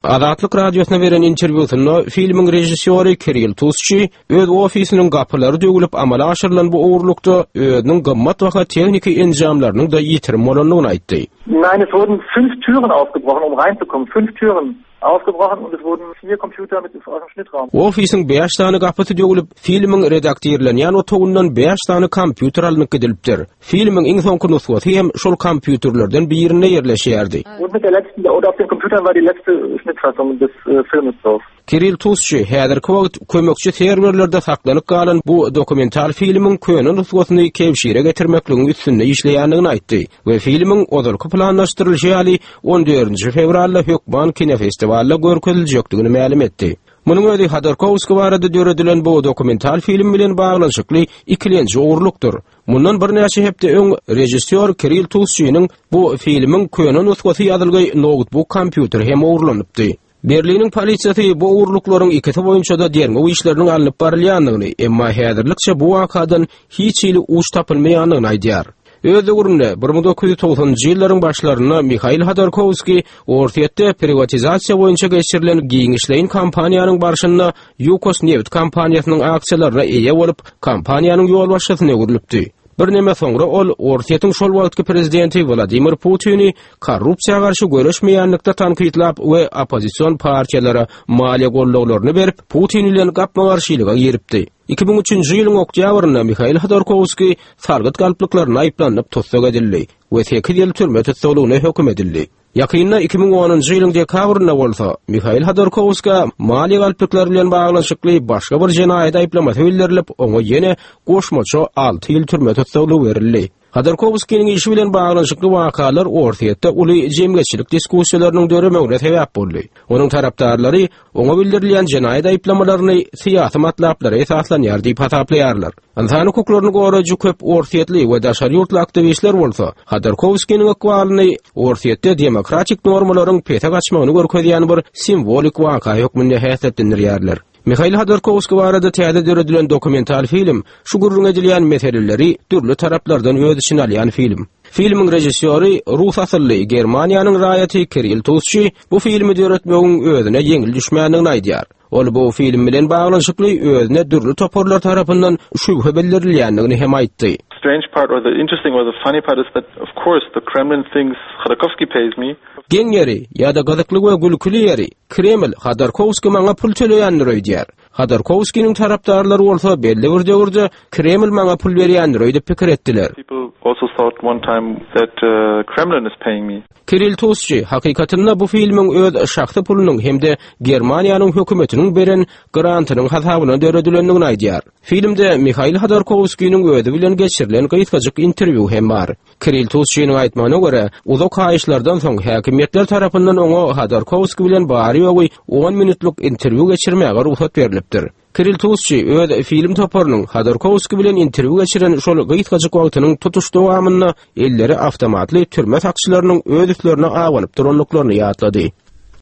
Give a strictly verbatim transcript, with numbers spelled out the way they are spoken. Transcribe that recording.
Azatlyk Radiosyna beren interwýusynda filmiň režissýory Kirill Tusçi öz ofisiniň gapylary döwülip amala aşyrylan bu ogurlykda özüniň gymmatbaha tehniki enjamlarynyň-da ýitirim bolandygyny aýtdy. Nein, es wurden fünf Türen aufgebrochen, um reinzukommen. Fünf Türen aufgebrochen und es wurden vier Computer mit aus dem Schnittraum. Ofisiň bäş sany gapysy döwülip, filmiň redaktirlenýän otagyndan bäş sany kompýuter alnyp gidilipdir. Filmiň iň soňky nusgasy hem şol kompýuterlerden birinde ýerleşýärdi. Und mit der letzten, oder auf den Computern war die letzte Schnittfassung des äh, Filmes drauf. Kirill Tusçi häzirki wagt kömekçi serwerlerde saklanyp galan bu dokumental filmiň köne nusgasyny kebşire getirmekligiň üstünde işleýändigini aýtdy we filmiň ozalky planlaşdyrylyşy ýaly on dördünji fewralda hökman kinofestiwalda görkeziljekdigini mälim etdi. Munuň özi Hodorkowskiý barada döredilen bu dokumental film bilen baglanyşykly ikilenji ogurlykdyr. Mundan birnäçe hepde öň režissýor Kirill Tusçiniň bu filmiň köne nusgasy ýazylgy noutbuk kompýuteri hem ogurlanypdy. Berliniň polisiýasy bu ogurlyklaryň ikisi boýunça-da derňew işleriniň alnyp barylýandygyny, emma häzirlikçe bu wakadan hiç hili uç tapylmaýandygyny aýdýar. Öz döwründe bir müň dokuz ýüz togsanynjy ýyllaryň başlarynda Mihail Hodorkowskiý Orsýetde privatizasiýa boýunça geçirilen giňişleýin kampaniýanyň barşynda Ýukos nebit kompaniýasynyň aksiýalaryna eýe bolup, kompaniýanyň ýolbaşçysyna öwrülipdi. Birneme soňra ol Orsýetiň şol wagtky prezidenti Wladimir Putini korrupsiýa garşy göreşmeýänlikde tankytlap we oppozision partiýalara maliýe gollaglaryny berip, Putin bilen gapma-garşylyga giripdi. Iki müň üçünji ýylyň oktýabrynda Mihail Hodorkowskiý salgyt galplyklaryna aýyplanyp tussag edildi we sekiz ýyl türme tussaglygyna höküm edildi. Ýakynda iki müň onunjy ýylyň dekabrynda bolsa Mihail Hodorkowska maliýe galplyklary bilen baglanyşykly başga bir jenaýat aýyplamasy bildirilip, oňa ýene goşmaça alty ýyl türme tussaglygy berildi. Hodorkowskiniň işi bilen baglanyşykly wakalar Orsýetde uly jemgyýetçilik diskussiýalarynyň döremegine sebäp boldy. Onuň tarapdarlary oňa bildirilýän jenaýat aýyplamalaryny syýasy matlaplara esaslanýar diýip hasaplaýarlar. Ynsan hukuklaryny goraýjy köp orsýetli we daşary ýurtly aktiwistler bolsa Hodorkowskiniň ykbalyny Orsýetde demokratik normalaryň pese gaçmagyny görkezýän bir simwolik waka hökmünde häsiýetlendirýärler. Mihail Hodorkowskiý barada täze döredilen dokumental film şu gürrüň edilýän meseleleri dürli taraplardan öz içine alýan film. Filmiň režissýory rus asylly Germaniýanyň raýaty Kirill Tusçi bu filmi döretmegiň özüne ýeňil düşmändigini aýdýar. Ol bu film bilen baglanyşykly özüne dürli toparlar tarapyndan şübhe bildirilýändigini hem aýtdy. Strange part or the interesting or the funny part is that of course the Kremlin thinks Khodorkovsky pays me. Geň ýeri ýa-da gyzykly we gülküli ýeri Kreml Hodorkowskiý maňa pul töleýändir öýdýär. Hodorkowskiniň tarapdarlary bolsa belli bir döwürde Kreml maňa pul berýändir öýdüp pikir etdiler. People also thought one time that, uh, Kremlin is paying me. Kirill Tusçi hakykatynda bu filmiň öz şahsy pulunyň hem-de Germaniýanyň hökümetiniň beren grantynyň hasabyna döredilendigini aýdýar. Filmde Mihail Hodorkowskiniň özi bilen geçirilen gysgajyk interwýu hem bar. Kirill Tusçiniň aýtmagyna görä, uzak haýyşlardan soň häkimiýetler tarapyndan oňa Hodorkowskiý bilen bary-ýogy on minutlyk interwýu geçirmäge rugsat berlipdir. Kirill Tusçi öz film toparynyň Hodorkowskiý bilen interwýu geçiren şol gysgajyk wagtynyň tutuş dowamynda elleri awtomatly türme sakçylarynyň öz üstlerine abanyp durandyklaryny ýatlady.